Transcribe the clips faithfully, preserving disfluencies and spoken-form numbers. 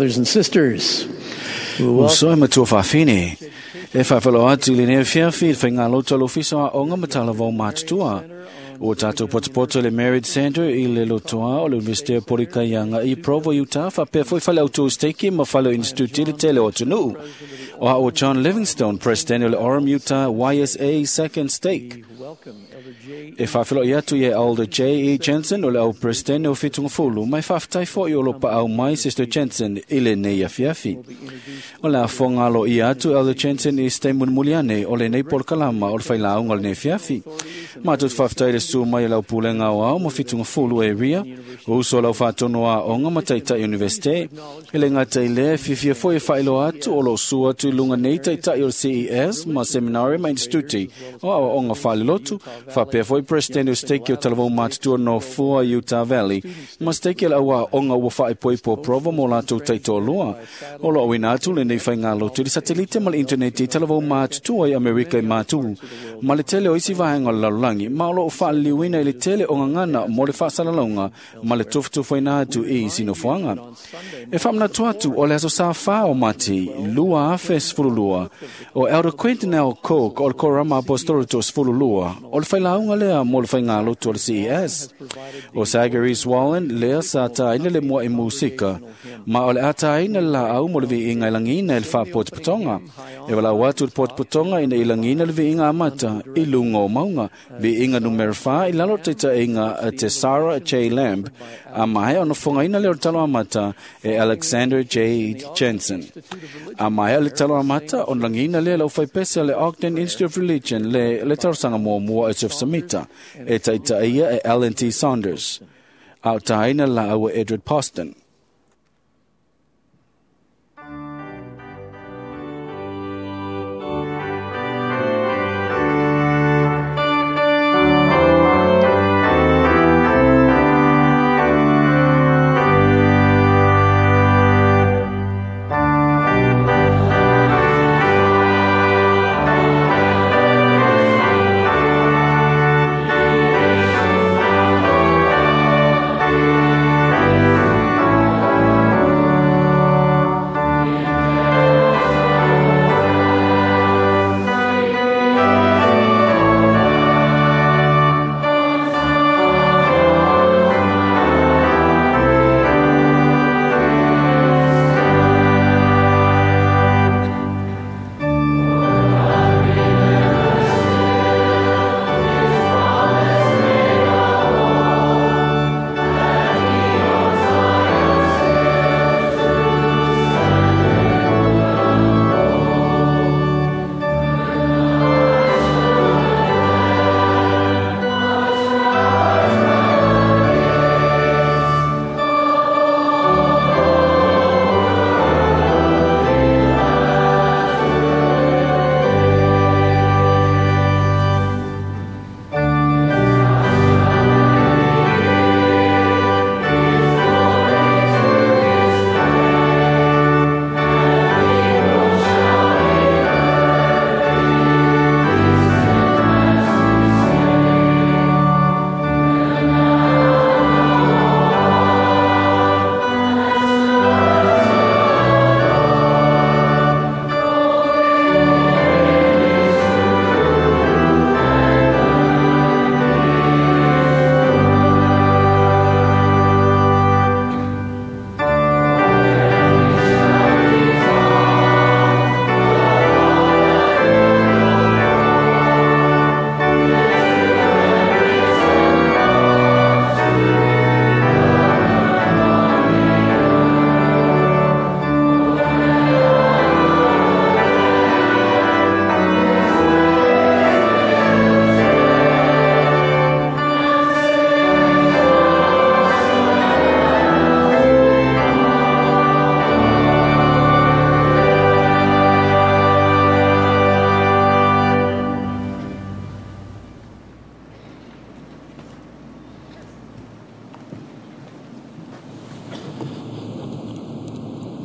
Brothers and sisters, we welcome Uso e matua whawhine. E whawhalo atu le nea fiafi le whainga loto lo fiso a onga matala vau mātutua. O tātou potopoto le Married Center i le lotoa o le Universite o Porikaianga i Provo, Utah, whapea foi whale autu steki ma whale instituti le tele o tunu. O a o John Livingstone, President o le Orem, Utah, Y S A Second Stake. welcome Elder J. E whawhilo i atu i e Elder J E. Jensen o le au President o Whitungafulu, mai whawhtai fo i o lo paau mai Sister Jensen i le nei afiafi. O le afonga alo i atu Elder Jensen i ste munmuliane o le nei polokalama o le whailaunga o le nei fiafi. Mātou te whawhtai le su mai o lau pulenga o au mo Whitungafulu e ria, o uso o lau whātono a onga mataitai universite, e le ngātai lea fiafia foi e whailoa atu o lo su atu i lunga nei taitai o le C E S ma seminari ma instituti o au onga whalilotu, whapea foi President o steki o talavou mātutua no Fua Utah Valley, ma steki o aua onga ua whaepoipo Provo mo lātou taitolua. O lo awina atu le nei whainga lotu le satelite ma le interneti talavou mātutua i Amerika i mātu. Ma le tele o isi vahenga o le lalolagi, ma o lo o whaaliliuina i le tele o ngangana mo le whaasalalonga ma le tufutufuaina atu i isi nofoanga. E whamnatu atu o le aso sa wha o mati, lua afe sfululua, o Elder Quentin L. Cook o le Korama Apostolito sfululua, o le whailaunga lea mo le whainga lotu o le C E S. O Sagaris Wallen lea sa tāina le mua i musika, ma o le ataina le la au mo le viinga i langina i le whapotipotonga. E walau atu le potipotonga ina i langina le viinga amata i lunga o maunga, viinga numera wha i lalo te tainga te Sarah J. Lamb, a mahe ona whangaina le o talo amata e Alexander J. Jensen. A mahe le talo amata on langina le lau whaipese le Ogden Institute of Religion le le tarosanga mua mua e Samita, e taitaia e Alan T. Saunders. A o taina la aua Edward Poston.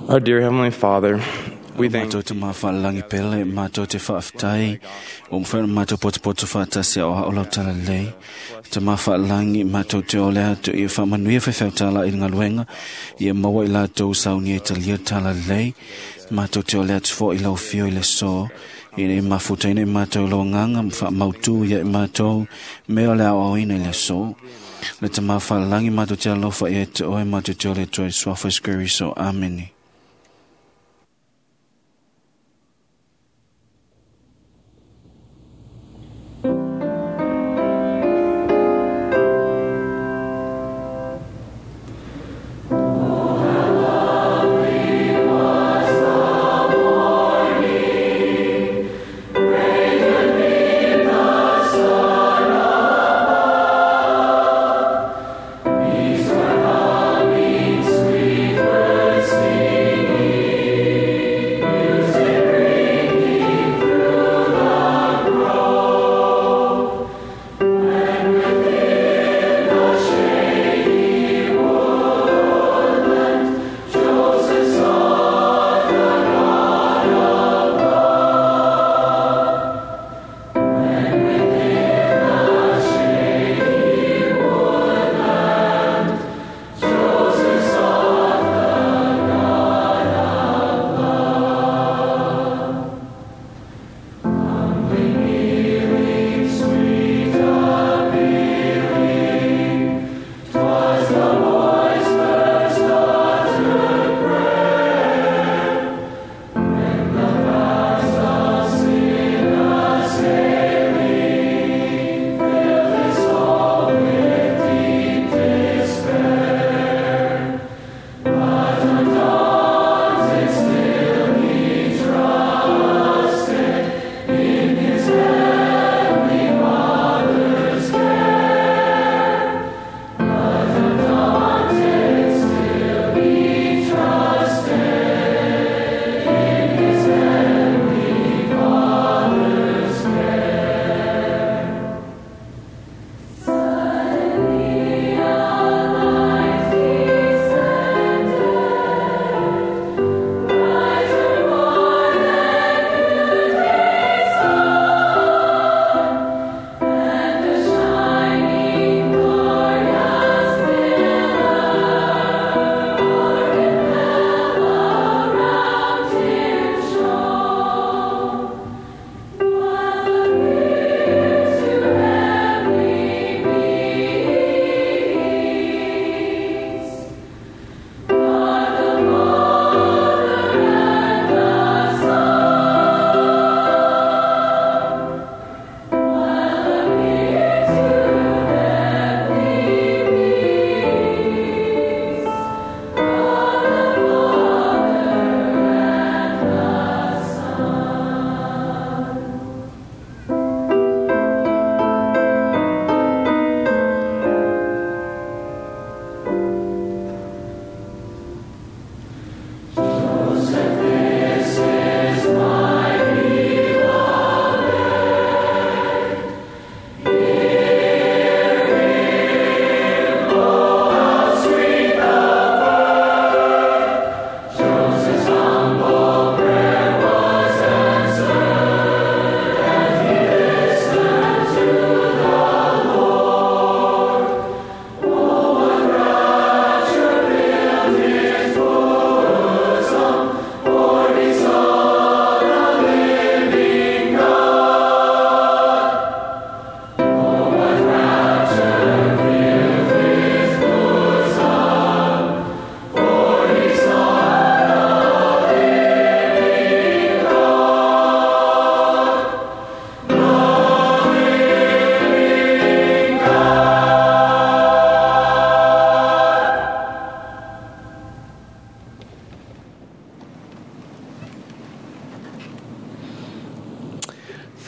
Our dear Heavenly Father, We thank Mātou te mawhaalangi pele, mātou te whaaftai, o mwhana mātou potopoto whaatasi o haolau tala lei. Te mawhaalangi, mātou te ole atu i whaamanuia whewheutala i ngā luenga, i e maua i lātou saunia i talia tala lei. Mātou te ole atu fo i lau fio i le so, i nei mafutaina i mātou lau nganga, whaamautu ia i mātou, me ole au auina i le so. Le te mawhaalangi, mātou te alofa i e te oe, mātou te ole atu i suafa skiriso. Ameni.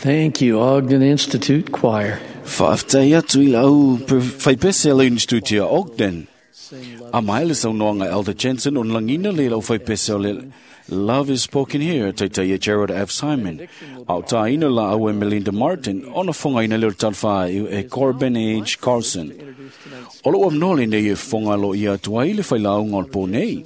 Thank you, Ogden Institute Choir. Whaaftai atu i lau whaipese lau Institute Ogden. A mai le saunoanga Elder Jensen on langina le lau whaipese o le Love is Spoken Here, taitai e Gerald F. Simon. Au tāina la au e Melinda Martin, ona whonga ina leo talwha e Corbin H. Carlson. O lo amnole nei e whonga lo ia tua i le whailau ngol po nei.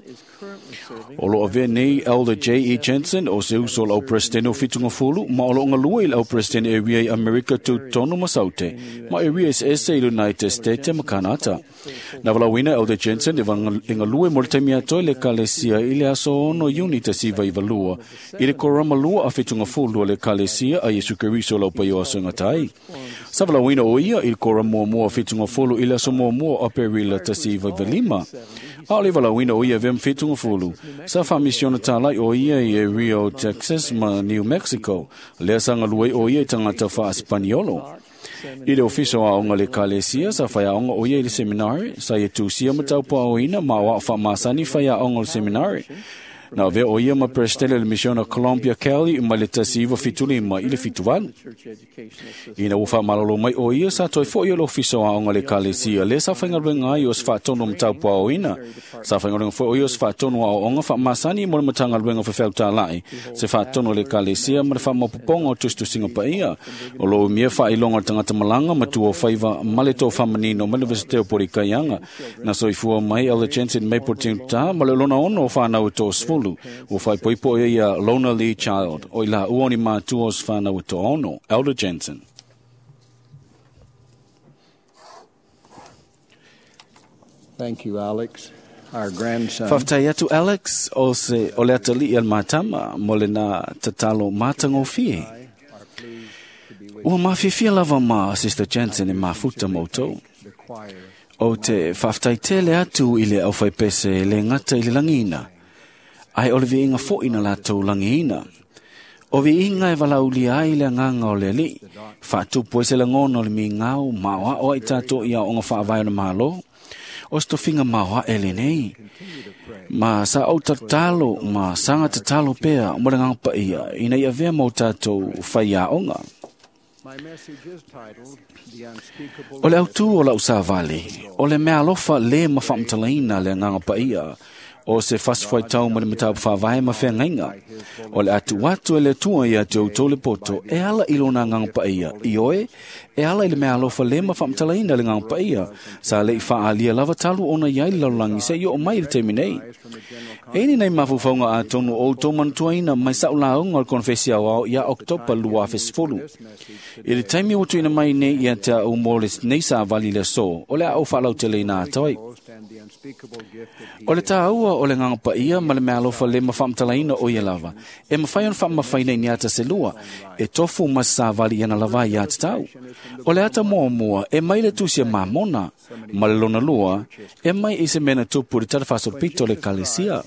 O lo avea nei Elder J E. Jensen o se uso o lau presidente o Fitungafulu, ma o lo ngalua i lau presidente e ria i Amerika Tutonu ma Saute, ma e ria ese i United States ma Kanata. Na walauina Elder Jensen e ngalue mo le taimi atoa i le kalesia i le aso ono Iuni tasi iva iva lua, i le korama lua a Fitungafulu o le kalesia a Iesu Keriso lau paio aso ngatai. Sa walauina o ia i le korama muamua a Fitungafulu i le aso muamua o Aperila tasi iva iva lima. A o le walauina o ia vem Fitungafulu. Sa whaamisiona tālai o ia i Rio, Texas ma New Mexico. Lea sa ngalue o ia i tangata wha-Espaniolo. I le ofiso a onga le kalesia, sa whai aonga o ia i le seminari, sa ia tūsia mataupa o ina ma o a wha-masani whai aonga o le seminari. Na vea o ia ma presidente le misiona Columbia Kelly ma le tasi iwa fitulima i le fituvalu. Ina ua wha-malolo mai o ia sa toi fo i o le ofiso a onga le kalesia le sa whaingaluenga ai o se whaatono mataupa o ina. Sa whaingaluenga fo o ia o se whaatono a o onga wha-masani mo le matangaluenga whawhau tālai. Se whaatono le kalesia ma le whaamapoponga o tustusinga pa ia. O lo umia whailonga tangata malanga matua whaiva male tō whamanino ma le Universite o Porikaianga. Na soifua mai Elder Jensen mai po ta ma le lona ono o whanau e tō sfulu. O whai poipo ia Lona Lee Child. O ila uoni mātua o whanau e tō ono. Elder Jensen. Thank you, Alex. Our grandson. Whaftai atu Alex o se o le atali al mātama mo le nā tatalo mātangofie. Ua mawhiwhia lava ma Sister Jensen e mafuta moutou. O te whaftai tele atu i le au whaipese le ngata i le langina. Ai o le viinga fo ina lātou langina. O viinga e walauli ai le nganga o le li. Whaatupu e se langono le mi ngau maoa o ai tātou ia onga whaavai o le malo. O stofinga maoa e le nei. Ma sa au tatalo, ma sanga tatalo pea mo le nganga pa ia. Ina ia vea mau tātou whai aonga. O le autu o lau sāvali, o le mea alofa le mawhaamtalaina le nganga pa ia. O se fasfwai tau ma le matau whavae ma whengainga. O le atu atu e le tua ia te auto le poto, e ala i lona nganga pa ia. I oe, e ala i le mea alofa le mawhaamtalaina le nganga pa ia. Sa le i whaalia lava talu ona iai le lalulangi se i o mai le teimi nei. E ni nei mafufaunga a tonu o tō manutuaina mai sau launga o le konfesi au ao ia Oktopa lua fesfolu. I le taimi o tuina mai nei ia te au mō le nei sa vali le so, o le au whaalau te leina atoi. O le tāua o le nganga pa ia ma le mea alofa le mawhaamtalaina o ia lava. E mawhai on whaamawhaina i ni ata se lua, e tofu ma sa vali iana lava i ata tau. O le ata mua mua, e mai le tusia mamona, ma le lona lua, e mai i se mena tupu le tatafaso pito le kalesia.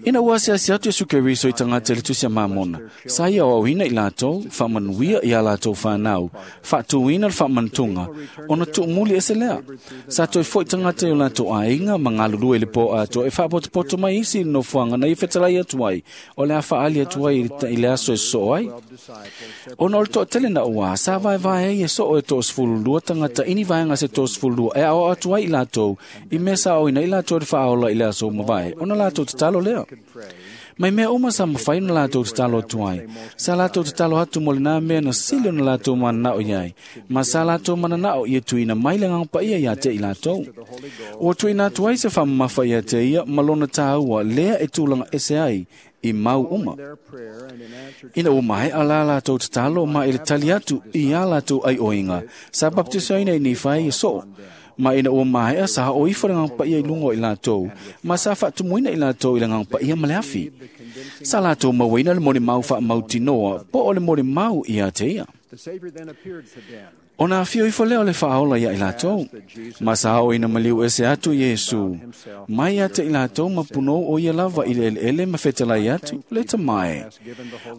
Ina ua se asi atu Yesu Keriso i tangata le tusia mamona, sa ia o auhina i lātou, whaamanuia i a lātou whanau, whaatuina le whaamantunga, ona tuumuli e se lea. Sa toi foi tangata i o lātou ainga, mangalulue le po ato, e whaapotopoto mai isi no fuanga na i whetalai atu ai, o le a whaali atu ai i le aso e so ai. Ona o le toatele na ua, sa vae vae ai e so o e tō sfulu lua tangata ini vaenga se tō sfulu lua, e ao atu ai i lātou, i mea sa o ina i lātou e whaaola i le aso mavae, ona lātou tatalo lea. Mai mea uma sa mawhai na lātou tatalo atu ai. Sa lātou tatalo atu mo le nā mea na sili o na lātou mananao iai. Ma sa lātou mananao ia tuina mai le nganga paia ia te i lātou. O tuina atu ai se whamamafa ia te ia malona tāua lea e tūlanga ese ai i mau uma. Ina o mai a la lātou tatalo ma i le tali atu i a lātou ai oinga. Sa baptisoina i ni whai e so. Ma ina o mai a sa o ifo le nganga paia i lungo i lātou. Ma sa whaatumuina i lātou i le nganga paia ma le afi. Sa lātou mauina le moni mau wha mautinoa, po o le moni mau i a te ia. O nā whio ifo leo le whaola ia i lātou. Ma sa o ina maliu ese atu Yesu. Mai a te i lātou ma punou o ia lava i le ele ma whetalai atu, le tamae.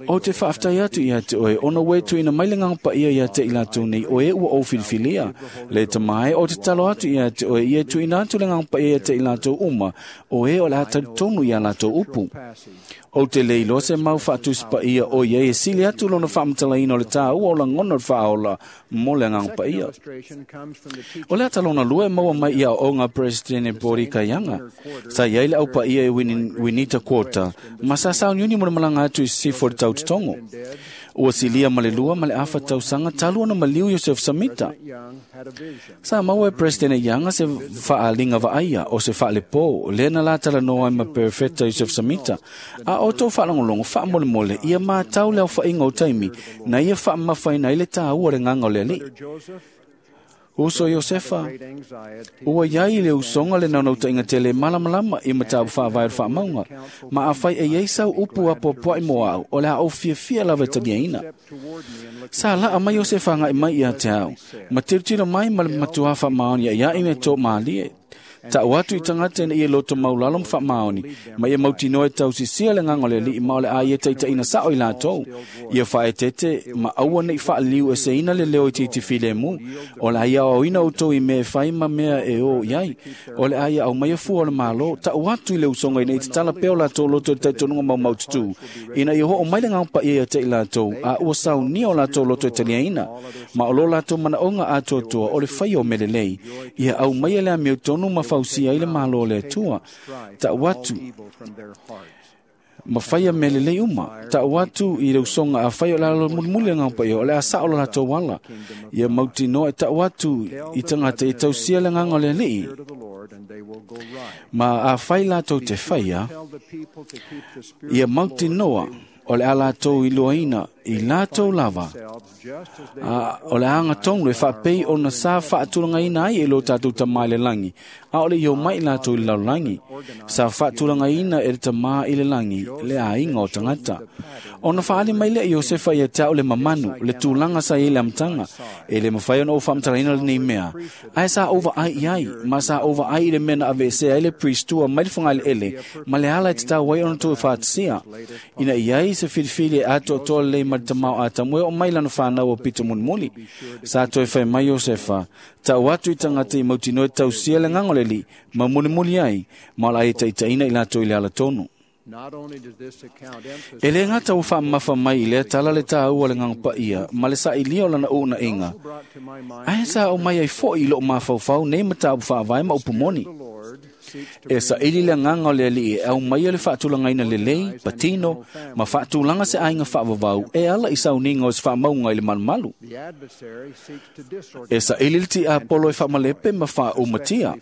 O te whaaftai atu ia te oe, ona wetu ina mai le nganga pa ia ia te i lātou nei oe ua o filfilia. Le tamae o te talo atu ia te oe, ia tu ina atu le nganga pa ia te i lātou uma, oe o le hatari tonu ia lātou upu. O te leilo se mau whaatuspa ia o ia e sili atu lona whaamtalaina o le tāua o langono le whaola mo le nganga pa ia. O le atalona lua e maua mai ia o ngā presidente Bori Kaianga. Sa iai le au pa ia e Winita Quota, ma sa sauniuni mo le malanga atu i sifo le taututongo. Ua silia ma le lua ma le afa tausaga talu ona maliu Iosefa Samita. Sa maua e President Young se faaaliga vaaia o se faalepō lea na latalanoa ai ma Perofeta Iosefa Samita. A o tou faalogologo faamolemole ia matau le aofaiga o taimi na ia faamamafaina ai le tāua o le agaga o le Alii. Uso Iosefa, ua iai le usoga le naunautaiga tele malamalama i mataupu faavae o le faamauga, ma afai e iai sau upu apoapoai mo au, o le a ou fiafia lava e taliaina. Sa laa mai Iosefa agai mai ia te au, ma tilotilo mai ma le matuā faamaoni iaʻiaʻi me tō mālie. Ta'u atu i tagata ina ia loto maulalo ma faamaoni, ma ia mautinoa e tausisia le agaga o le Alii ma o le a ia taitaʻina saʻo i latou. Ia faaeteete ma aua neʻi faaliliu eseina le leo itiiti filemu, o le a ia aoaoina outou i mea e fai ma mea e o i ai. O le a ia aumaia fua o le Malo, ta'u atu i le usoga ina ia tatala pea o latou loto i le talitonuga maumaututū, ina ia hoʻo mai le agaga paia ia te i latou, a ua saunia o latou loto e taliaina, ma o lo latou manaʻoga atoatoa o le faia o mea lelei. Ia aumaia le amiotonu ma fausia ai le Malo o le Atua. Ta'u atu ma faia mea lelei uma. Ta'u atu i le usoga afai o le a mulimuli le agaga paia, o le a saʻo lo latou ala. Ia mautinoa e ta'u atu i tagata e tausia le agaga o le Alii. Ma afai latou te faia, ia mautinoa o le a latou iloaina i latou lava, a o le agatonu e faapei ona sa faatulagaina ai e lo tatou Tamā i le lagi, a o le i omai latou i le lalolagi. Sa faatulagaina e le Tamā i le lagi le aiga o tagata. Ona faaali mai lea Iosefa ia te au le mamanu, le tulaga sa iai le amataga. E le mafai ona ou faamatalaina lenei mea, ae sa ou vaai i ai, ma sa ou vaai i le mea na aveesea ai le pristua mai le fogaeleele ma le ala e tatau ai ona toe faatasia, ina ia ai se filifili e atoatoa lelei ma le tamao Atamu e oo mai lana fanau o pito mulimuli. Sa toe fai mai Iosefa, ta'u atu i tagata i mautinoa e tausia le agaga o le Alii ma mulimuli ai, ma o le a ia taitaʻina i latou i le alatonu. E lē gata ua faamamafa mai i lea tala le tāua o le agaga paia ma le saʻilia o lana uunaʻiga, ae sa ou mai ai foʻi i loʻu mafaufau nei mataupu faavae ma upu moni. E saʻili le agaga o le Alii e aumaia le faatulagaina lelei, patino, ma faatulaga se aiga faavavau e ala i sauniga o se faamauga i le malumalu. E saʻili le tiapolo e faamalepe ma faaumatia,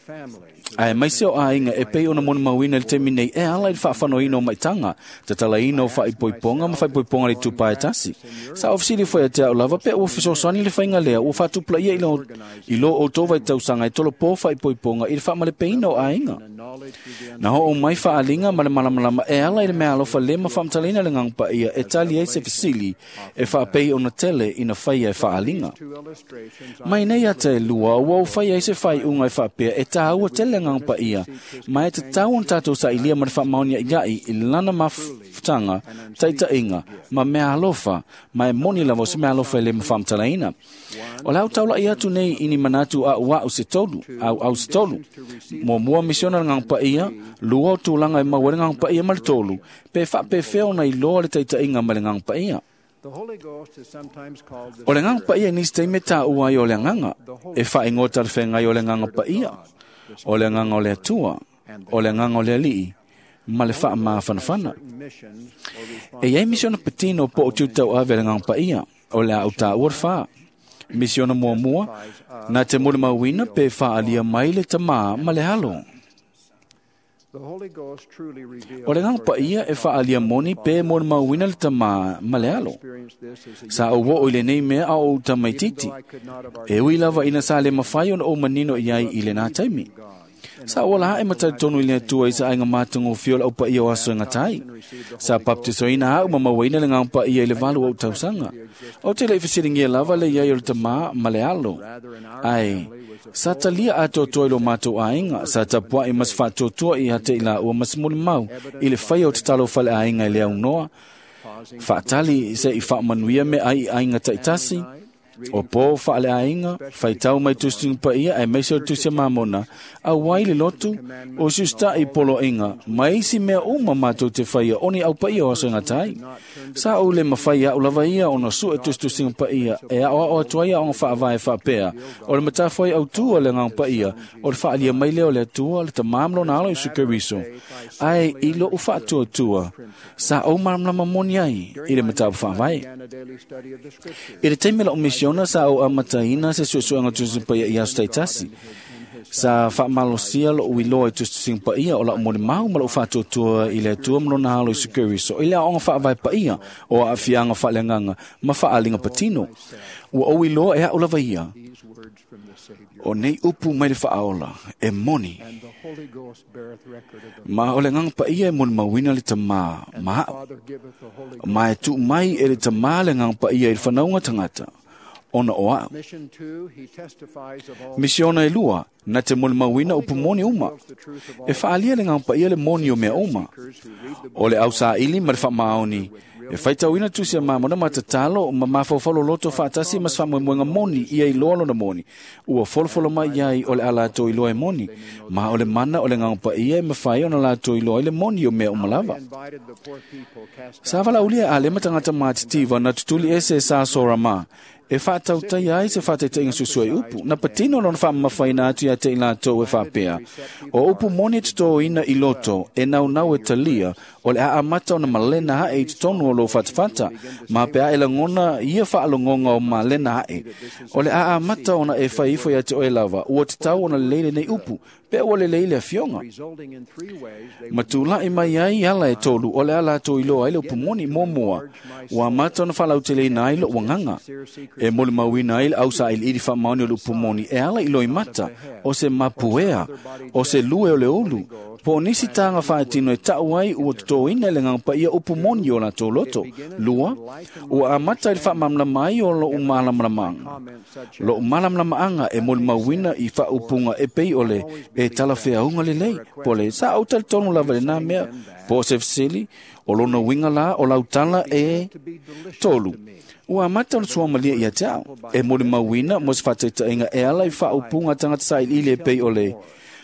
ae maise o aiga e pei ona molimauina i le taimi nei e ala i le faafanoina o maitaga, tatalaina o faaipoipoga ma faaipoipoga le itupa e tasi. Sa ofisili foi ia te au lava pe ua fesoasoani le faiga lea ua faatupulaia i lo, i lo outou vaitausaga e tolopō faaipoipoga i le faamalepeina o aiga. Na hoʻo mai faaaliga ma le malamalama e ala i le mea alofa le ma faamatalaina le agaga paia e tali ai se fesili e faapei ona tele ina faia e faaaliga. Mai nei ata e lua, ua ou fai ai se faaiuga e faapea e tāua tele le agaga paia, ma e tatau ona tatou saʻilia ma le faamaoniaʻiaʻi i lana mafutaga, taitaʻiga, ma mea alofa, ma e moni lava o se mea alofa e le ma faamatalaina. O le a ou taulaʻi atu nei i ni manatu a'ua'u se tolu, auau se tolu. Muamua misiona le agaga paia, lua o tulaga e maua ai le agaga paia ma le tolu, pe faapefea ona iloa le taitaʻiga ma le agaga paia. O le agaga paia i nisi taimi e tāua ai o le agaga, e faaigoa talafeagai o le agaga paia, o le agaga o le Atua, o le agaga o le Alii, ma le faamafanafana. E iai misiona patino po o tiutauave a le agaga paia, o le a ou tāua le fā. Misiona muamua, na te molimauina pe faalia mai le Tamā ma le Alo. O le agaga paia e faalia moni pe molimauina le Tamā ma le Alo. Sa ou oo i lenei mea a o ou tamaititi, e ui lava ina sa le mafai ona ou manino i ai i lenā taimi. Sa ou ala ae ma talitonu i le Atua i sa aiga matagofie o le aupaia o aso e gata ai. Sa baptisoina au ma mauaina le agaga paia i le valu o ou tausaga. Ou te le i fesiligia lava le iai o le Tamā ma le Alo. Ae, sa talia atoatoa i lo matou aiga, sa tapuaʻi ma se faatuatua ia te i laua ma se molimau i le faia o tatalo faleaiga i le aunoa, faatali se i faamanuia meaai i aiga taitasi, O pō whaaleainga, whaitau mai tusinga paia e meise o tusia mamona, a wai le lotu, o susta i polo inga, mai isi mea uma mātou te whaia, oni au paia o aso ngatai. Sa o le mawhai au lava ia ona su e tustusinga paia, e ao ao atuai a onga whaavae whaapea, o le matawhai au tua le ngang paia, o le whaalia mai leo le atua, le tamam lona alo i sukeriso. Ai i lo uwhaatua tua, sa o maramlama moni ai, i le matau whaavae. I le teime la o misiona sa o amataina se suesuega tusipaia i aso taitasi. Sa whaamalosia lo uiloa i tustusinga paia o la umoli mau ma lo uwhaatuatua i le atua mlona halo i sukeriso. I le aonga whaavae paia o a afianga whaalenganga ma whaalinga patino. Ua o iloa e aulawa ia. O nei upu mai le whaaola e moni. Ma o le nganga paia e moni mawina le tamā. Ma, ma e tu mai e le tamā le nganga paia i le whanaunga tangata. Ona o au. Misiona e lua, na te moni mawina upu moni uma. E whaalia le nganga paia le moni o mea uma. O le au saili ma le whaamaoni. E whaitauina tusia mamona ma tatalo ma mawhawhalo loto whaatasi mas whamoemoenga moni ia i loa lona moni. Ua folofolo mai iai o le ala tō i loa e moni. Ma o le mana o le nganga ia e mawhai ona la tō i loa i le moni o mea umalava. Sa wala ulia a le matangata mātitiva na tutuli ese sa sora mā. E whaatautai ai se whaataitainga susua i upu. Na patino lona whaamawhaina atu ia te i lātou e whaapea. O upu moni te tō ina i loto, e nau nau e talia, o le aamata ona malena hae i tonu o lo whatawhata, ma pea e langona ia whaalongonga o malena hae. O le aamata ona e whaifo ia te oe lava, ua te tau ona leile nei upu, pea ua le leile a fionga. Matula i mai ai ala e tolu, o le ala tō iloa ai le upu moni mōmua, ua amata ona whalautele ina ai lo wanganga. E moli mauina ai le au sa ili ili whaamaoni o le upu moni, e ala ilo i mata, o se mapuea, o se lue o le ulu, po nisi tānga whaatino e tau ai ua tōina le nganga paia upu moni o la tō loto. Lua, ua amata i le whaamamlama ai o lo umalamalamaanga. Lo umalamalamaanga e moli mauina i whaupunga e pei ole e talawhea unga le lei. Pole, sa au tali tonu lava le nā mea, po se fisili, o lona winga la o lautala e tolu. Ua amata o suamalia ia te au. E moli mauina mo se whataitainga e ala i whaupunga tangata sa ili e pei ole.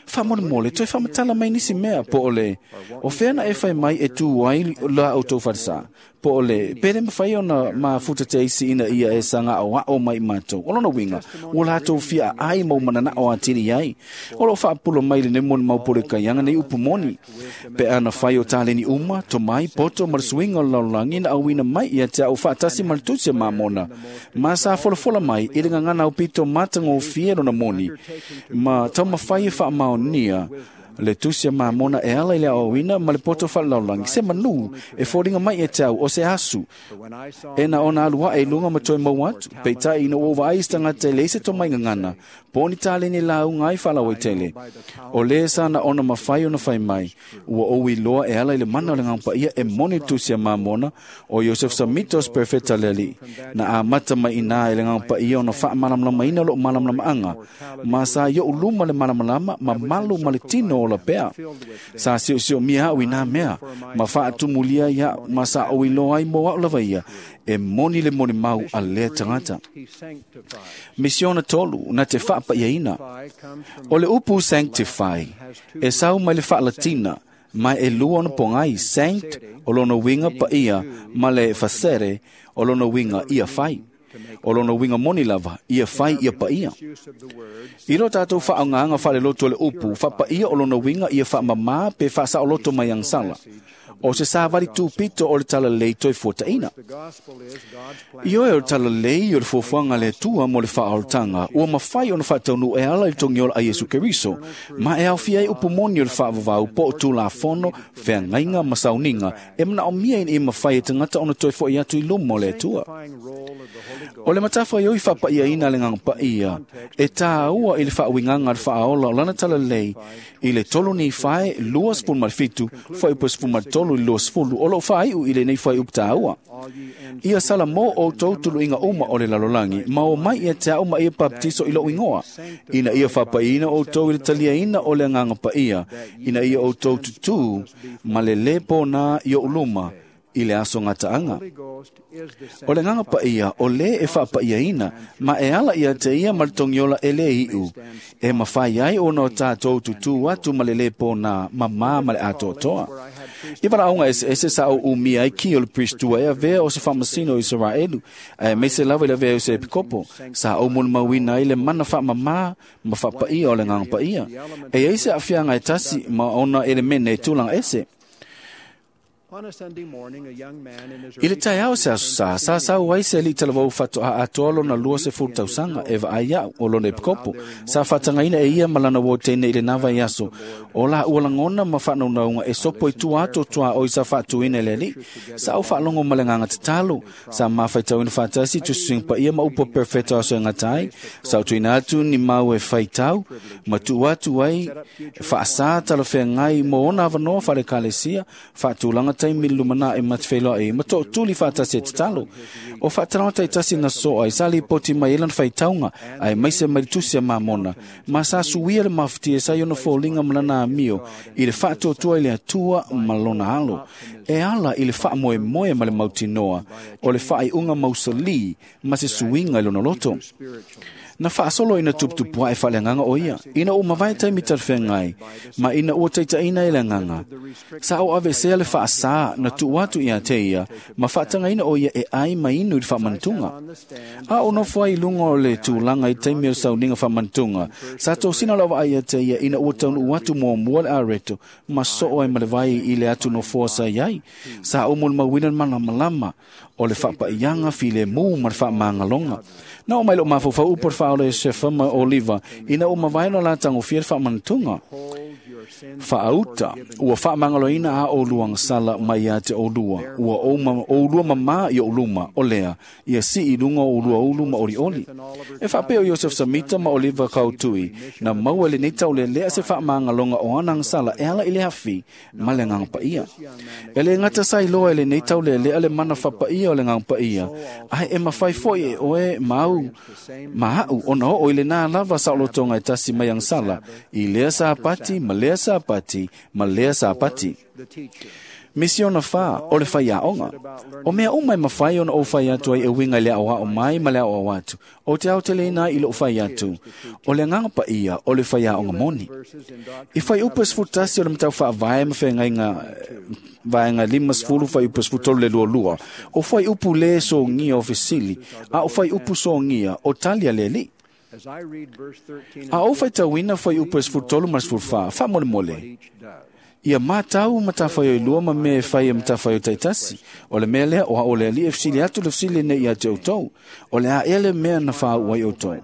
Whamone toi whamatala mai nisi mea, po ole. O whena e whai mai e tū ai la o tō wharesa. Po ole, pere mwhai ona ma futa te isi ina ia e sanga o ao mai mātou. O lona winga, o lātou fia ai mau manana o atiri ai. O lo whaapulo mai le nemoni maupore kaianga nei upu moni. Pe ana whai o tāleni uma, to mai, poto, marasuinga o laulangi na awina mai ia te au whaatasi maratusia mamona. Ma sa folafola mai, i le ngana au pito matanga o fia lona moni. Ma tau mawhai e whaamaonia le tusia mamona e ala i le awina ma le poto whalaulangi. Se manu e fōringa mai e te au o se asu. E na ona alua e lunga ma toi mau atu. Peitai ina uova ai stangata e leise tō mai ngangana. Pōni tālene la au ngai whalau e tele. O le sana ona mawhai ona whai mai. Ua owi loa e ala i le mana o le ngangpa ia e moni tusia mamona o Joseph Samitos perfecta leli. Na amata mai ina e le ngangpa ia ona wha malamlama ina lo malamlama anga. Ma sa yo uluma le malamalama ma malu ma le tino o la pea. Sa sio sio mia au ina mea. Ma whaatumulia ia ma sa o iloa ai mo au lava ia. E moni le moni mau a lea tangata. Misiona tolu na te whaapa ia ina. O le upu sanctify. E sau mai le whaalatina. Mai e lua ona pongai sanct o lona winga pa ia ma le fasere o lona winga ia whai. O lona winga moni lava, ia whai ia pa ia. I ro tātou whaanganga whale loto le upu, whapa ia o lona winga ia whaamama pe whasa o loto mai ang sala. O se sāvari tūpito o le tala lei toi fuataina. I oe o le tala lei o le fuafuanga le tua mo le whaoltanga, ua mawhai ona whataunu e ala i tongiola a Yesu Keriso, ma e awhia i upu moni o le whaavavau po o tū la fono, wheangainga ma sauninga, e mana o mia i mawhai e tangata ona toi fo i atu i lumo le tua. O le matawha i oi whapaia ina le nganga paia, e tāua i le whaawinganga le whaaola o lana tala lei, i le tolu ni whae, lua spun marfitu, whai upo spun martolu i lua sfulu, o lo whaiu i le nei whai uptāua. Ia sala mō o tōtulu inga uma o le lalolangi, ma o mai ia te au ma ia baptiso i lo ingoa. Ina ia whapaina o tau i le talia ina o le nganga paia, ina ia o tau tutu, ma le lepo nā i o uluma, I le aso gataaga. O le agaga paia o lē e faapaiaina ma e ala ia te ia ma le togiola e lē iʻu e mafai ai ona o tatou tutū atu ma le lē pōnā mamā ma le atoatoa. I valaauga eseese sa ou umia ai ki o le pristua e avea o se faamasino o Isaraelu ae maise lava i le avea o se epikopo sa ou molimauina ai le mana faamamā ma faapaia o le agaga paia. E ai se aafiaga e tasi ma ona elemene e tulaga ese. I le taeao se aso sa, sa sau ai se aliʻi talavou faatoa atoa lona lua sefulu tausaga e vaai a'u o lona epikopo. Sa faatagaina e ia ma lana uo teine i lenā vaiaso. O la ua lagona ma faanaunauga e sopo i tua atu o tuaʻoi sa faatuina e le aliʻi. Sa ou faalogo ma le agaga tatalo. Sa mafaitauina faatasi tusitusiga paia ma upu a perofeta o aso e gata ai. Sa ou tuuina atu ni mau e faitau ma tuu atu ai faasā talafeagai mo ona avanoa faale-ekalesia faatulaga taimi lumanaʻi ma te feiloai ma toʻatuli faatasi e tatalo. O faatalanoa taitasi na soa ai sa lipoti mai ai lana faitauga ae maise mai le tusi a Mamona ma sa suia le mafutia sa i ona foliga ma lana amio i le faatuatua i le Atua ma lona alo e ala i le faamoemoe ma le mautinoa o le faaiuga mausalī ma se suiga i lona loto. Na faasolo ina tuputupu ae faaleagaga o ia ina ua mavae taimi talafeagai ma ina ua taitaʻina i le agaga. Sa ou avesea le faasā na tuu atu ia te ia ma faatagaina o ia e ai ma inu i le faamanatuga. A o nofo ai i luga o le tulaga i taimi o le sauniga faamanatuga, sa tosina lau vaai ia te ia ina ua taunuu atu muamua le areto ma soo ai ma le vai i le atu nofoa sa i ai. Sa ou molimauina le malamalama o le faapaiaga filemu ma le faamagaloga. Na oo mai lou mafaufau upu o le faaola Iosefa ma Oliva ina ua mavae ona latagofia le faamanatuga. Faauta ua faamagaloina a oulua agasala mai ia te oulua ua oulua mamā i ou luma o lea ia sii i luga o oulua ulu ma olioli. E faapea o Iosef Samita ma Oliva Kautui na maua i lenei taulelea se faamagaloga o ana agasala e ala i le afi ma le agaga paia. E lē gata sa iloa e lenei taulelea le mana faapaia o le agaga paia ae e mafai foʻi e oe ma au ma aʻu ona oo i lenā lava saolotoga e tasi mai agasala i lea sapati ma lea sapati ma lea sapati. Misiona whā o le whaiaonga. O mea uma e mawhai ona o whai atu ai e winga i le ao ao mai ma le ao ao atu. O te ao te leina i lo whai atu. O le nganga pa ia o le whaiaonga moni. I whai upa sfutasi o le matau wha vae ma whainga vaenga lima sefulu whai upa sefutolu le lua lua. O whai upu le songia o fesili. A o whai upu songia o talia le li. A o whaitauina whai upa sefutolu ma sefulufā, wha mole mole. Ia mātau matawhai o lua ma me whai e matawhai o taitasi. O le mea lea o a o le ali e fsili atu le fsili nei ia te outou. O le a ele mea na wha uai outou.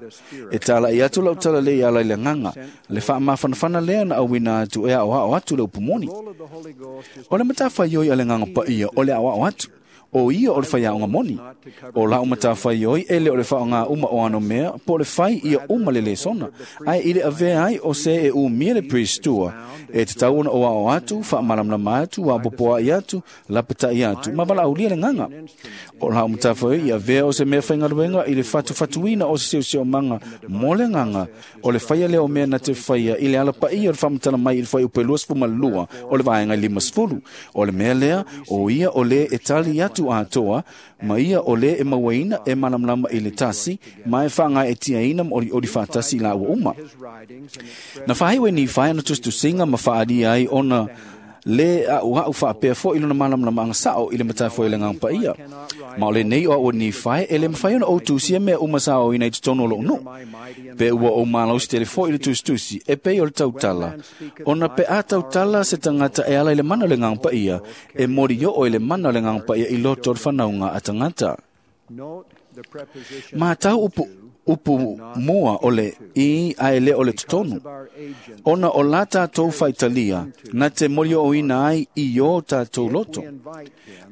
E tala i atu lau tala le i ala i le nganga. Le wha mawhanawhana lea na awina atu e a o a o atu le upumoni. O le matawhai oi a le nganga pa ia o le a o atu. O ia o le whai aonga moni. O la o matawhai oi ele o le whaonga uma o ano mea, po le whai ia uma le lesona. Ai i le avea ai o se e umia le priestua. E te tau ona o ao atu, whaamalamlama atu, wapopoa i atu, lapata i atu, ma wala aulia le nganga. O la o matawhai oi i avea o se mea whaingaluenga i le whatuwhatuina o se seuseo manga mo le nganga. O le whaia leo mea na te whaia i le alapa ia o le whamatala mai i le whai upe lua sefuma lua o le vaenga lima sefulu. O le mea lea, o ia o le e tali atu atoa, ma ia o le e mauaina e malamalama i le tasi, ma e whaangai e tiaina ma ori ori whaatasi la ua uma. Na whahaiwe ni whai ana tustusinga ma whaaria ai ona le a ua au whaapea fo i lona malamalama anga sao i le matawhai le nganga paia. Ma o le nei o au ni whai e le mawhai ona o tusia mea uma sao ina i te tono lo nu. Pe ua o malau si tele fo i le tustusi e pei o le tautala. Ona pe a tautala se tangata e ala i le mana o le nganga paia e mori yo o i le mana o le nganga paia i loto o le whanaunga a tangata. Mā tau upu upu mua o le i ae le o le totonu. Ona o la tātou whaitalia, na te mori o ina ai i o tātou loto.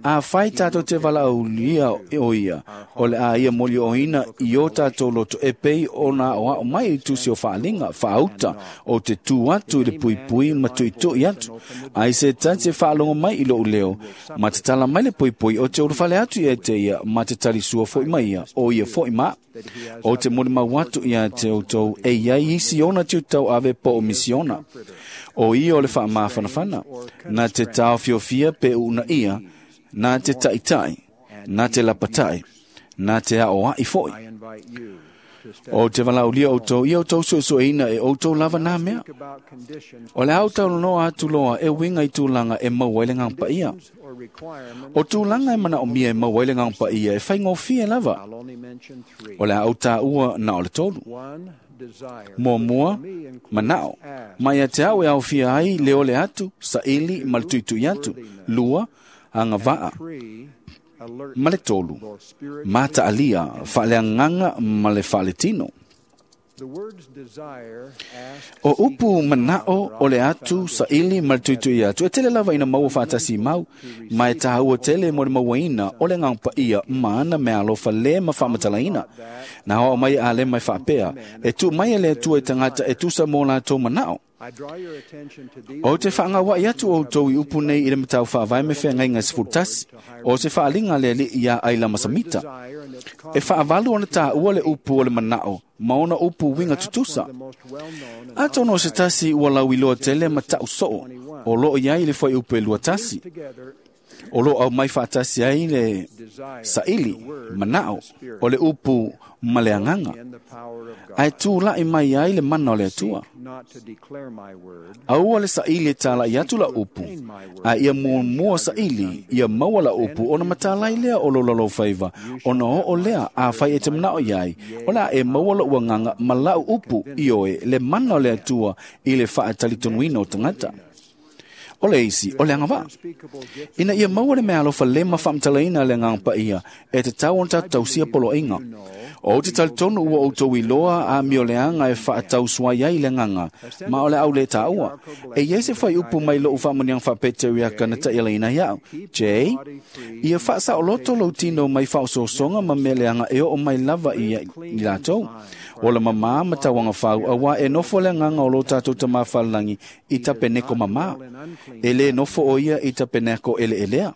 A whai tātou te wala aulia o ia, o le a ia mori o ina i o tātou loto, e pei o nā o ao mai i tusi o whaalinga, whaauta, o te tū atu i le pui pui ma tui tui atu. Ai se tate whaalongo mai i lo leo, ma te tala mai le pui pui o te urufale atu i e te ia, ma te talisua foi mai ia, o ia foi ma. O te mori mau atu ia te outou e iai isi ona te utau ave po o misiona. O ia o le whaamawhanawhana, na te tau fiofia pe una ia, Na te taʻitaʻi, na te lapataʻi, na te aʻoaʻi foʻi. O te valaaulia outou ia outou suesueina e outou lava nā mea. O le autaulanoa atu loa e uiga i tulaga e maua ai le Agaga Paia. O tulaga e manaomia e maua ai le Agaga Paia e faigofie lava. O le a ou tāua na o le tolu. Muamua, manao. Mai ia te au e aofia ai le ole atu, saili ma le tuitui atu. Lua, agavaa. Ma le tolu, mataalia, faaleagaga ma le faaletino. O upu manao o le atu, saili ma le tuitui atu, e tele lava ina maua faatasi mau, ma e tāua tele mo le mauaina o le Agaga Paia ma ana meaalofa le ma faamatalaina. Na aoao mai a le mai faapea, e tuu mai e le Atua i tagata e tusa mo latou manao. O te faagauaʻi atu outou i upu nei i le matau faavae me feagaiga sefulutasi, o se faaliga le aliʻi iā Ailamasamita. E faavalu ona tāua le upu o le manao ma ona upu uiga tutusa. Atonu o se tasi ua lauiloa tele ma taʻu soo, o loo i ai le fuaiupu e lua tasi. O loo aumai faatasi ai le saili, manao, o le upu ma le agaga, ae tulaʻi mai ai le mana o le Atua. Aua le saili e tālaʻi atu la upu, ae ia muamua saili ia maua la upu ona matalai lea o lo laloufaiva, ona oo lea afai e te manao iai, o le a e maua loʻu agaga ma laʻu upu ioe le mana o le Atua i le faatalitonuina o tagata. O le isi, o le agavaa. Ina ia maua le meaalofa le ma faamatalaina le Agaga Paia e tatau ona tatou tausia poloaiga. O te talitonu ua outou iloa amioleaga e faatausuai ai le agaga, ma o le au le tāua. E iai se fuaiupu mai loʻu faamanuiaga faapeteriaka na taʻialaina ai aʻu. J, ia faasaoloto lou tino mai faaosoosoga ma mea leaga e oo mai lava i i latou. O le mamā ma tauaga fau, auā e nofo le agaga o lo tatou tamā falelagi i tapeneko mamā. E lē nofo o ia i tapeneko eleelea.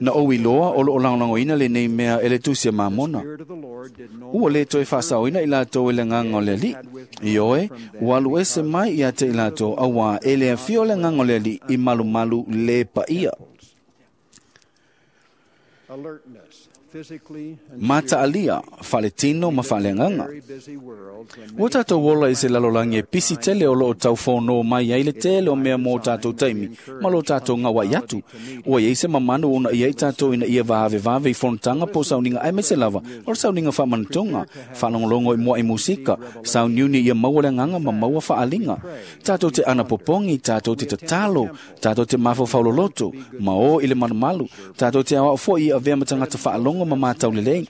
Na ou iloa o loo lagolagoina lenei mea e le Tusi a Mamona. Ua lē toe faasaoina i latou e le agaga o le Alii. Ioe, ua alu ese mai ia te i latou, auā e le afio le agaga o le Alii i malumalu lē paia. Mataalia, faaletino ma faaleagaga. Ua tatou ola i se lalolagi e pisi tele o loo taufonō mai ai le tele o mea mo tatou taimi ma lo tatou gauaʻi atu. Ua iai se mamanu ona iai tatou ina ia vaavevave i fonotaga po o sauniga aemaise lava o le sauniga faamanatoga, faalogologo i muaʻi musika, sauniuni ia maua le agaga ma maua faaliga. Tatou te anapopogi, tatou te tatalo, tatou te mafaufau ma o i le malumalu, tatou te aoao foʻi i avea ma tagata faalogo ma matau lelei.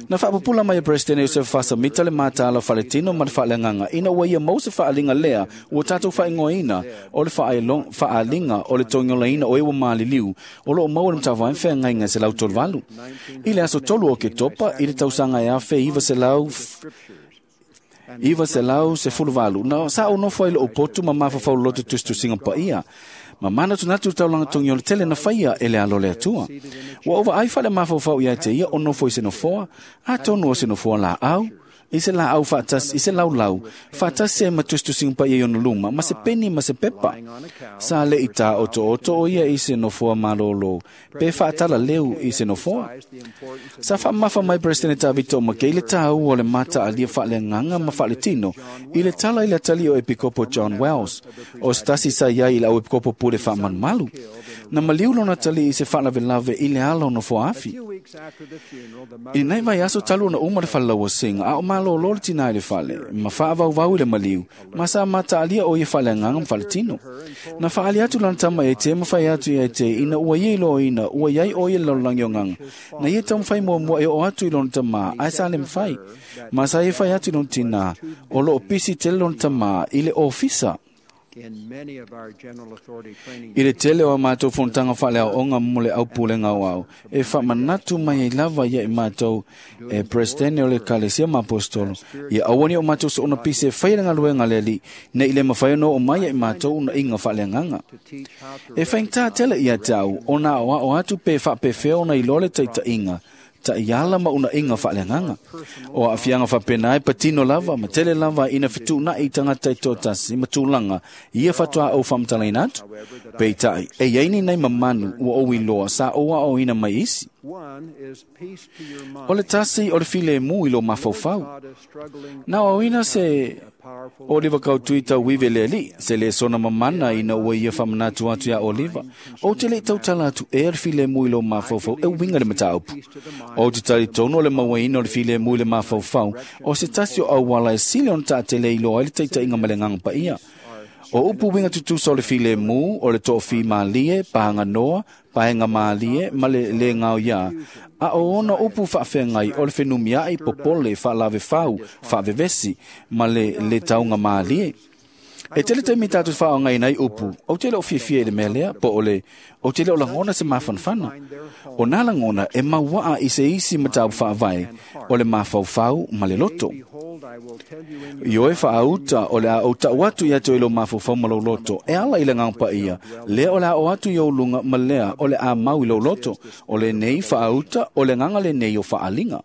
Na faapupula mai e Presidente Iosefo Fasamita le mataala faletino ma le faaleagaga ina ua ia maua se faaliga lea ua tatou faaigoaina o le faaliga o le togiolaina o e ua maliliu o loo maua le matavae feagaiga se lau tolu valu. I le aso tolu o Ketopa i le tausaga e afe iva selau iva selau sefulu valu, na sa ou nofo ai loo potu ma mafaufau loloto tusitusiga paia. Ma manatunatu taulaga togi o le tele na faia e le alo le Atua. Ua ou vaai faale mafaufau ia te ia o nofo i se nofoa, atonu o se nofoa laau, i se laau faatasi, i se laulau, faatasi ai ma tusitusiga paia i ona luma, ma se peni ma se pepa. Sa leʻi tāotooto o ia i se nofoa malōlō, pe faatalaleu i se nofoa. Sa faamamafa mai Peresetene Tavito Makei le tāua o le mataalia faaleagaga ma faaletino i le tala i le atalii o Epikopo John Wells, o se tasi sa iai i le au epikopo pule faamalumalu. Na maliu lona atalii i se faalavelave i le ala o nofoa afi. I lenei vaiaso talu ona uma le falelauasiga, a o malōlō le tinā i le fale, ma faavauvau i le maliu, ma sa mataalia o ia faaleagaga ma faaletino. Na faali atu lana tama ia te ma fai atu ia te ina ua ia iloaina ua iai o ia le lalolagi o agaga. Na ia taumafai muamua e oo atu i lona tamā, ae sa le mafai. Ma sa ia fai atu i lona tinā, o loo pisi tele lona tamā i le ofisa. I le tele o a matou fonotaga faaleaoaoga mo le aupulega aoao, e faamanatu mai ai lava ia i matou e Peresetene o le Ekalesia ma Aposetolo, ia aua ne o matou soona pisi e faia le galuega a le Alii, nei le mafai ona oo mai ia i matou unaiga faaleagaga. E faigata tele ia te au ona aoao atu pe faapefea ona iloa le taitaiga, Ta'iala ma una'īga fa'aleagaga. O a'afiaga fa'apena e patino lava ma tele lava ina fetu'una'i tagata e to'atasi ma tulaga ia fa'atoā ou fa'amatalaina atu. Peita'i e iai ni nai mamanu ua ou iloa sa ou a'aoina mai isi. O le tasi o le filemu i lo mafaufau. Na aoina se Oliva kautui tauive le ali'i, se lē sona mamana ina ua ia fa'amanatu atu iā Oliva. Ou te le'i tautala atu ea le filemu i lo mafaufau e uiga le mataupu. Ou te talitonu o le mauaina o le filemu i le mafaufau, o se tasi o auala e sili ona ta'atele iloa ai le taita'iga ma le Agaga Paia. O upu uiga tutusa o le filemu, o le to'afīmālie, pahaganoa, paega mālie, ma le lē gaoiā, a o ona upu fa'afeagai o le fenumia'i, popole, fa'alavefau, fa'avevesi, ma le lē tauga mālie. E tele taimi tatou fa'aaogāina ai upu, ou te le o fiafia i le mea lea, po o le, ou te le o lagona se mafanafana. O nā lagona e maua'a i se isi mataupu fa'avae, o le mafaufau ma le loto. Ioe fa'auta o le a ou ta'u atu ia te oe i lou mafaufau ma lou loto, e ala i le Agaga Paia, lea o le a o atu i ou luga ma lea o le a mau i lou loto, o lenei fa'auta o le agaga lenei o fa'aliga.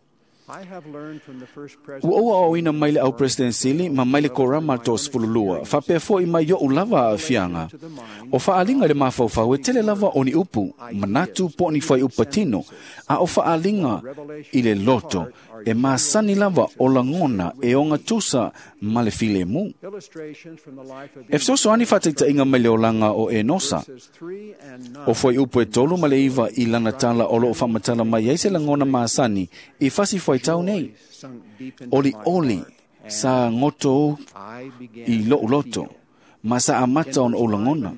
Ua ou a'aoina mai le au President Sili ma mai le korama le toasefululua, fa'apea fo'i mai o'u lava a'afiaga. O fa'aliga i le mafaufau e tele lava o ni upu, manatu po o ni fuaiupu patino, a o fa'aliga i le loto, e masani lava o lagona e ogatusa ma le filemu. E fesoasoani fa'ataita'iga mai le olaga o Enosa. O fuaiupu e tolu ma le iva i lana tala o lo'o fa'amatala mai ai se lagona masani i fasi fuaitau nei. Oli'oli sa goto ou i lo'u loto, ma sa amata ona ou lagona.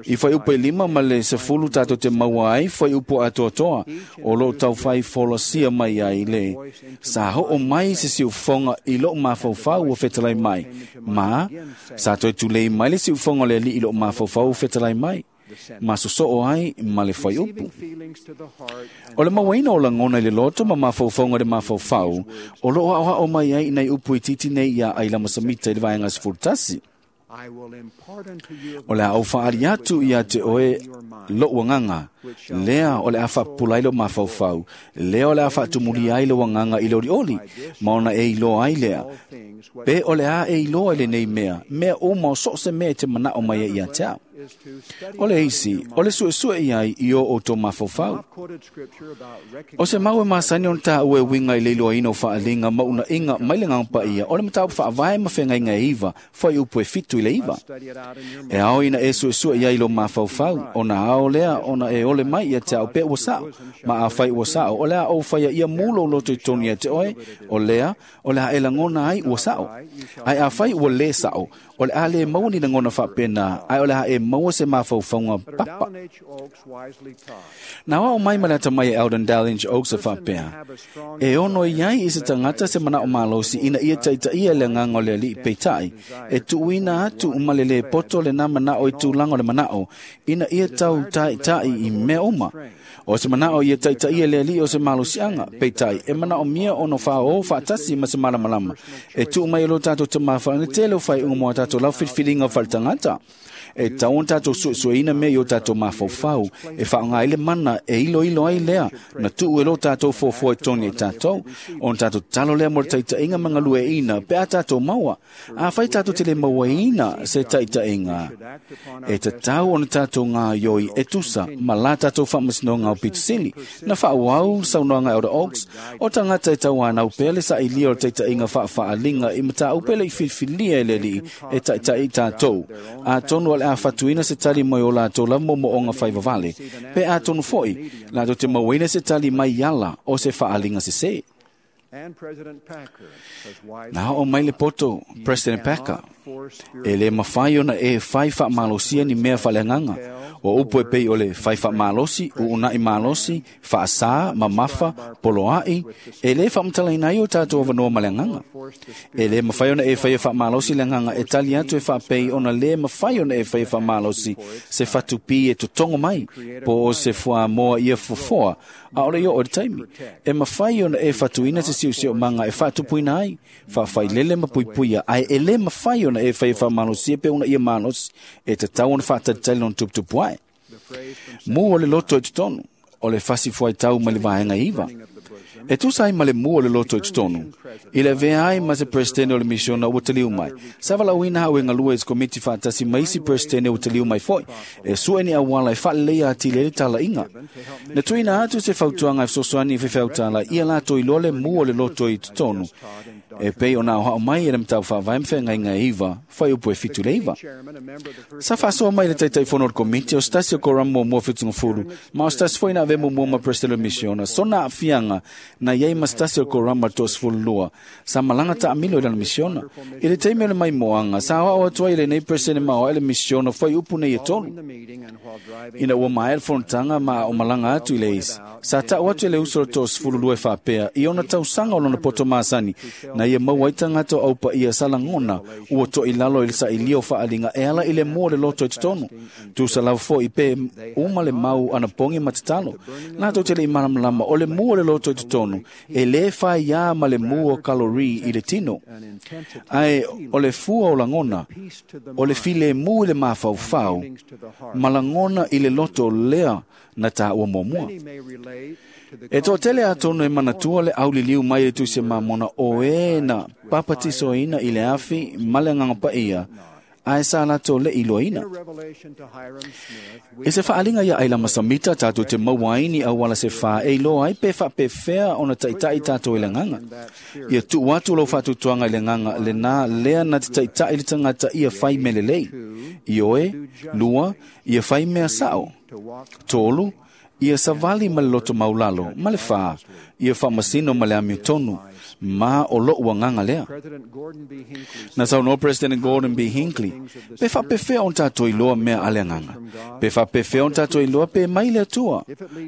I fuaiupu e lima ma le sefulu tatou te maua ai fuaiupu atoatoa o lo'o taufai folasia mai ai le sa ho'o mai se siufoga i lo'u mafaufau ua fetalai mai, ma sa toe tulei mai le siufoga o le ali'i i lo'u mafaufau ua fetalai mai, ma soso'o ai ma le fuaiupu. O le mauaina o lagona i le loto ma mafaufauga i le mafaufau, o lo'o a'oa'o mai ai i nai upu itiiti nei iā Ailama Samita i le vaega sefulu tasi. O le a ou fa'aali atu ia te oe lo'u agaga, lea o le a fa'apupula ai lou mafaufau, lea o le a fa'atumulia ai lou agaga i le oli'oli, ma ona e iloa ai lea. Pe o le a e iloa i lenei mea, mea uma o so o se mea e te mana'o mai ai ia te a'u. O le isi, o le su'esu'e i ai i o outou mafaufau. O se mau e masani ona tāua e uiga i le iloaina o fa'aliga ma una'iga mai le Agaga Paia, o le mataupu fa'avae ma feagaiga e iva, fuaiupu e fitu i le iva. E ao ina e su'esu'e i ai i lou mafaufau, ona ao lea ona e ole mai ia te a'u pe ua sa'o, ma afai ua sa'o, o le a ou faia ia mu lou loto i totonu ia te oe, o lea, o le a e lagona ai ua sa'o. Ae afai ua lē sa'o, o le a lē maua ni lagona fa'apena, ae o le a e maua se mafaufauga papa. Na ao mai ma le atamai e Eldon Dallinge Oaks e fa'apea, e ono i ai i se tagata se mana'o malosi ina ia ta'ita'ia le agaga o le ali'i peita'i, e tu'uina atu ma le lē poto lenā mana'o i tulaga o le mana'o, ina ia tau ta'ita'i i mea uma. O se mana'o ia ta'ita'ia le ali'i o se malosi'aga, peita'i e mana'omia ona fa'aō fa'atasi ma se malamalama, e tu'u mai e lo tatou tamāfa'aga le tele o faaiuga mo a tatou lau filifiliga fa'aletagata. E tau ona tatou su'esu'eina mea i o tatou mafaufau, e fa'aaogā ai le mana e iloilo ai lea, na tu'u e lo tatou fuafua i totonu i tatou, ona tatou tatalo lea mo le ta'ita'iga ma galue'ina pe a tatou maua. Afai tatou te lē mauaina se ta'ita'iga, e tatau ona tatou gaioi e tusa ma la tatou fa'amasinoga o pitusili. Na fa'auau saunoaga Elder Oaks, o tagata e tauanau pea le sa'ilia o le ta'ita'iga fa'afa'aliga i mataupu e le'i filifilia e le Ali'i e ta'ita'i tatou. Atonu o le a fatuina se tali mai o latou lava momo'oga faivavale, pe atonu fo'i latou te mauaina se tali mai ala o se fa'aliga sesē. Na o'o mai le poto President Packer, e lē mafai ona e fai fa'amalosia ni mea fa'aleagaga. O upu e pei o le fai fa'amalosi, u'una'i malosi, fa'asā, mamafa, poloa'i, e lē fa'amatalaina ai o tatou avanoa ma le agaga. E lē mafai ona e faia fa'amalosi le agaga e tali atu e fa'apei ona lē mafai ona e faia fa'amalosi se fatupī e totogo mai, po o se fuamoa ia fofoa, a'ole i o'o i le taimi. E mafai ona e fatuina se si'osi'omaga e fa'atupuina ai, fa'afailele ma puipuia, ae e lē mafai ona e faia fa'amalosia pe una ia malosi, e tatau ona fa'atalitali lona tuputupu ae. Mu o le loto i totonu. O le fasi fuaitau mai le vaega iva. E tusa ai ma le mua o le loto i totonu. I le avea ai ma se presidente o le misiona ua taliu mai. Sa valaauina au e galue i se komiti faatasi ma isi presidente ua taliu mai foi. E sue ni auala e faaleleia atili ai le talaiga. Na tuuina atu se fautuaga e fesoasoani i faifeau ia latou iloa le mua o le loto i totonu. E pei ona aoao mai e le mataupu faavae ma feagaiga e iva, fuaiupu e fitu le iva. Sa faasoa mai le taitaifono o le komiti o se tasi o koramu muamua fitugafulu, ma o se tasi foi na avea muamua ma presidente o le misiona, sona aafiaga na iai ma se tasi o koramu ma le toasefululua, sa malaga taamilo i lana misiona. I le taimi o le maimoaga, sa aoao atu ai i lenei presidente maoae le misiona fuaiupu nei e tolu. Ina ua maea le fonotaga ma o malaga atu i le isi, sa tau atu e le uso o le toasefululua e faapea i ona tausaga o lona poto masani, na ia maua ai tagata o aupaia sa lagona ua toʻilalo i le sailia o faaliga e ala i le mua o le loto i totonu. Tusa lava foʻi pe uma le mau anapogi ma tatalo. Latou te leʻi malamalama o le mua o le loto i totonu e lē faiā ma le mu o kalori i le tino. Ae o le fua o lagona, o le filemu i le mafaufau ma lagona i le loto lea na taua muamua. E toatele atonu e manatua le auliliu mai le Tusi Mamona o e na papatisoina i le afi ma le agaga paia, ae sa latou le iloaina. I se faaliga ia Ailama Samita tatou te maua ai ni auala se fā e iloa ai pe faapefea ona taitai tatou i le agaga. Ia tuu atu lou faatuatuaga i le agaga lenā lea na te taitai le tagata ia fai mea lelei. Ioe, lua, ia fai mea sao. Tolu, ia savali ma le loto maulalo, ma le fā, ia faamasino ma le amiotonu, ma o lou agaga lea. Na saunoa President Gordon B. Hinckley, pe faapefea ona tatou iloa mea a le agaga. Pe faapefea ona tatou iloa pe mai le Atua,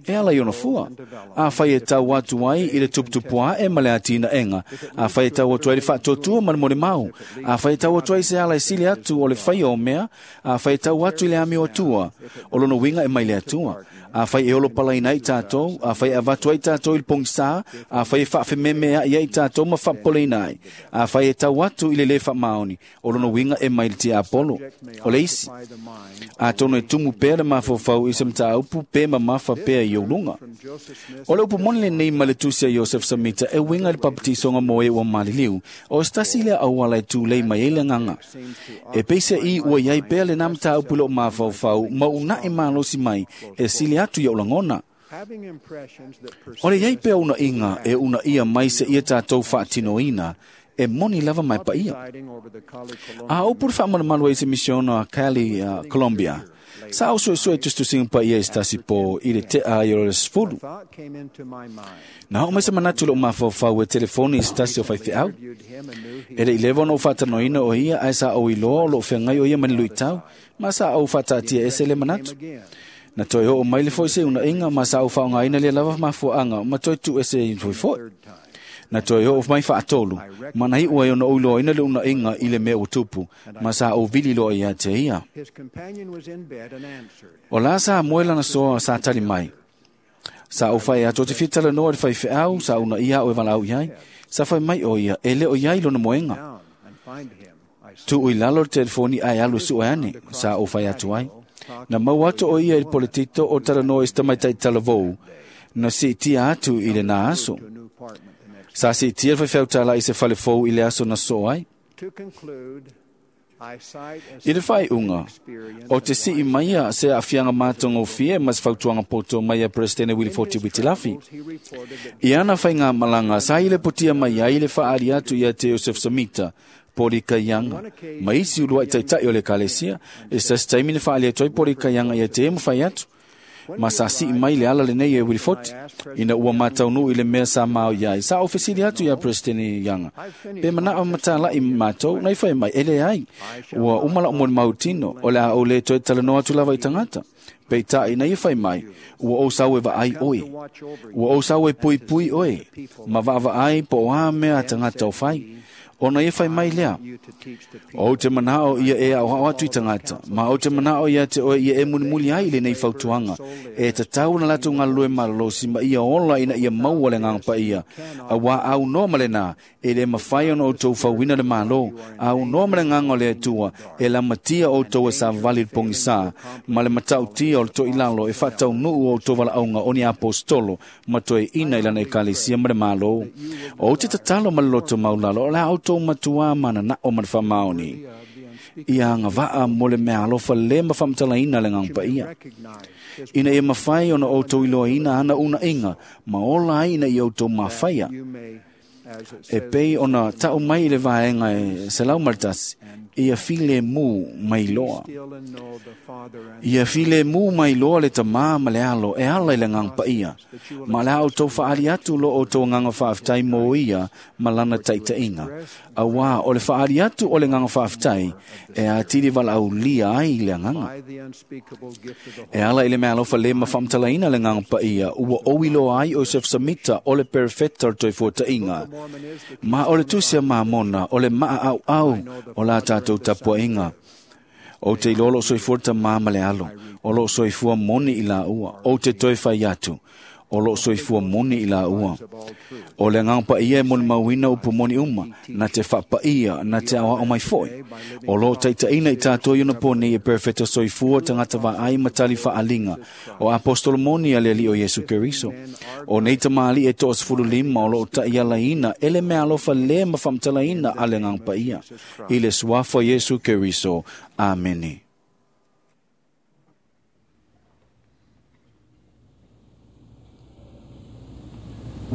e ala i ona fua. Afai e tau atu ai i le tuputupuae ma le atinaega, afai e tau atu ai le faatuatua ma le molimau, afai e tau atu ai se ala e sili atu o le faia o mea, afai e tau atu i le amio Atua, o lona uiga e mai le Atua. Afai e olo palaina ai tatou, afai e avatu ai tatou i le pogisā, afai e faafememeaʻi ai tatou ma faapopoleina ai, afai e tau atu i le lē faamaoni, o lona uiga e mai le tiapolo. O le isi, atonu e tumu pea le mafaufau i se mataupu pe mamafa pea i ou luga. O le upu moni lenei ma le tusi a Iosef Samita e uiga i le papatisoga mo e ua maliliu, o se tasi lea auala e tulei mai ai le agaga. E peiseʻi ua iai pea lenā mataupu i lou mafaufau ma unaʻi malosi mai e sili atu i ou lagona. O le iai pea unaʻiga e unaʻia mai seia tatou faatinoina e moni lava ma e paia. A upu le faamalumalu ai se misiona a Cali, uh, Colombia. Sa au suesue tusitusiga paia i se tasi po i le tea ai o le sefulu. Na oo mai se manatu i lou mafaufau e telefoni i se tasi o faifeau. E leʻi leva ona ou faatanoina o ia ae sa ou iloa o loo feagai o ia ma ni luitau, ma sa ou faataatia ese le manatu. Na toe oo mai le foi se unaʻiga ma sa ou faaaogaina lea lava mafuaaga ma toe tuu ese i foifoʻi. Na toe oo mai faatolu, ma na iʻu ai ona ou iloaina le unaʻiga i le mea ua tupu, ma sa ou vili loa ia te ia. O la sa moe lana soa sa tali mai. Sa ou fai atu o te fia talanoa i le faifeau, sa unaia au e valaau i ai. Sa fai mai o ia, e le o iai lona moega. Tuu i lalo le telefoni ae alu e sue ane, sa ou fai atu ai. Na maua atu o ia i le poletito o talanoa i se tamaitai talavou, na siitia atu i lenā aso. Sa siitia le faifeau tālaʻi i se fale fou i le aso na soo ai. I le faaiuga, o te sii maia se aafiaga matagofie ma se fautuaga poto mai a Peresetene Wilifoti Witilafi. I ana faigamalaga sa i le potia mai ai le faaali atu ia te Iosef Samita, Poli Kaianga, ma isi uluaʻi taitaʻi o le ekalesia, e se tasi taimi na faaali atu ai Poli Kaianga ia te e mafai atu. Ma sa sii mai le ala lenei e Wilifoti, ina ua mataunuu i le mea sa mao iai. Sa ou fesili atu ia Presidente Yanga, pe manao matalaʻi matou, na i fai mai, e leai, ua uma lau molimau tino, o le a ou lē toe talanoa atu lava i tagata. Peitai na ia fai mai, ua ou sau e vaai oe. Ua ou sau e puipui oe, ma vaavaai po o a mea a tagata o fai. Ona ia fai mai lea. O te manao ia e au atu i tangata, ma o te manao ia te oe ia e mulimuli ai i lenei fautuaga. E tatau na latou galulue malolosi ma ia ola ina ia maua le agaga paia. Auā aunoa ma lenā, e le mafai ona outou fauina le Malo, aunoa ma le agaga o le Atua, e lamatia outou e savavali i le pogisā, ma le matautia o le toilalo e faataunuu outou valaauga o ni aposetolo ma toeaina i lana ekalesia ma le Malo. O te tatalo ma le loto maulalo, o le a outou matuā mananao ma le faamaoni. Ia agavaa mo le mea alofa le ma faamatalaina le agaga paia. Ina ia mafai ona outou iloaina ana unaiga ma ola ai ina ia outou mafaia. E pei ona tau mai i le vaega e selau ma le tasi, ia filemu mai loa. Ia filemu mai loa le tamā ma le alo e ala i le agaga paia. Ma le a outou faali atu lo outou agaga faafetai mo ia ma lana taitaiga. Auā o le faali atu o le agaga faafetai e atili valaaulia ai le agaga. E ala i le mea alofa le ma faamatalaina le agaga paia, ua ou iloa ai o Joseph Samita o le perefeta o le toefuataiga. Ma o le tusi a Mamona o le maaauau o la tatou tapuaiga. O te iloa loo soifua le tamā ma le alo, o loo soifua moni i laua, o te toe fai atu, o loo soifua moni i laua. O le agaga paia e molimauina upu moni uma, na te faapaia, na te aoao mai foi. O loo taitaina i tatou i ona po nei e perefeta soifua tagata vaai ma tali faaliga, o apostolo moni a le Alii o Iesu Keriso. O nei tamalii e toasefululima o loo taialaina e le mea alofa le ma faamatalaina a le agaga paia. I le suafa o Iesu Keriso. Amene. I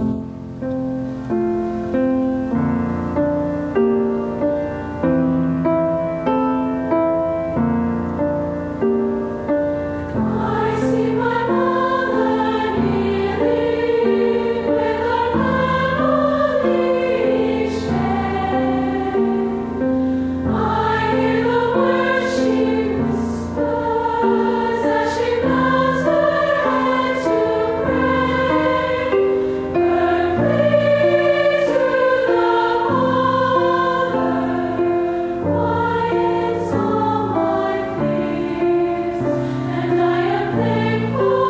see my mother kneeling with her family each day. I hear the words she whispers as she bows her head to pray. Her praise to the Father quiets all my fears, and I am thankful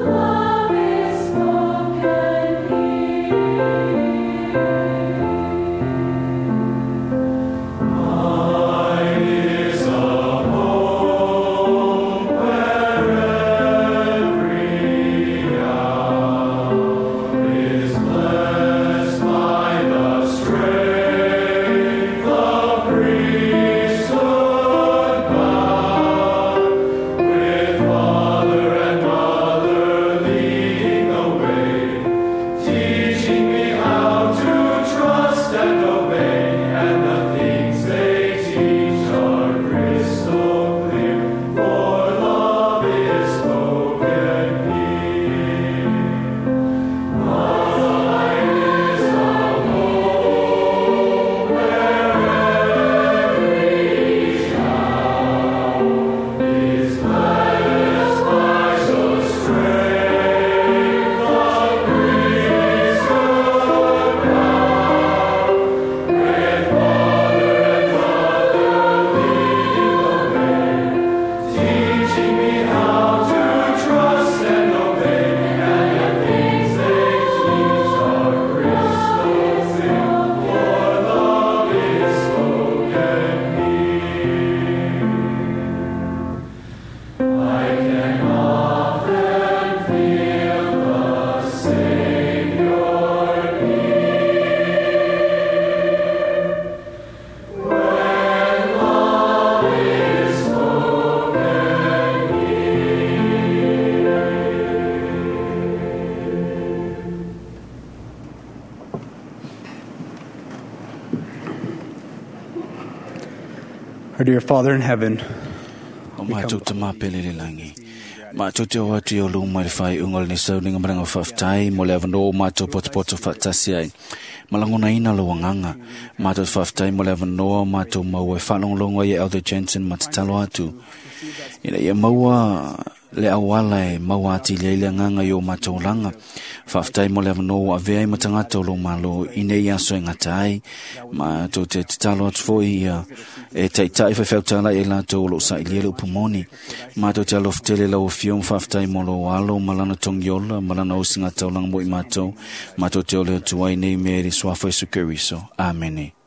love is spoken here. Our dear Father in heaven, O mātou te māpele le langi. Mātou te o atu i o luma i le whai unga le nisauninga maranga whaftai mo le awano o mātou potopoto whatasi ai. Malangona ina lo wanganga. Mātou te whaftai mo le awano o mātou maua e whalonglongo i Elder Jensen ma te talo atu. Ina ia maua Le auala e maua atili ai le agaga i o matou laga. Faafetai mo le avanoa ua avea ai ma tagata o lou Malo i nei aso e gata ai. Matou te tatalo atu foi ia e taita'i faifeau ai latou o loo sailia le upu moni. Matou te alofa tele lau Afioga, faafetai mo lou alo ma lana togiola ma lana osigataulaga mo i matou. Matou te ole atu ai nei mea i le suafa Iesu Keriso. Amene.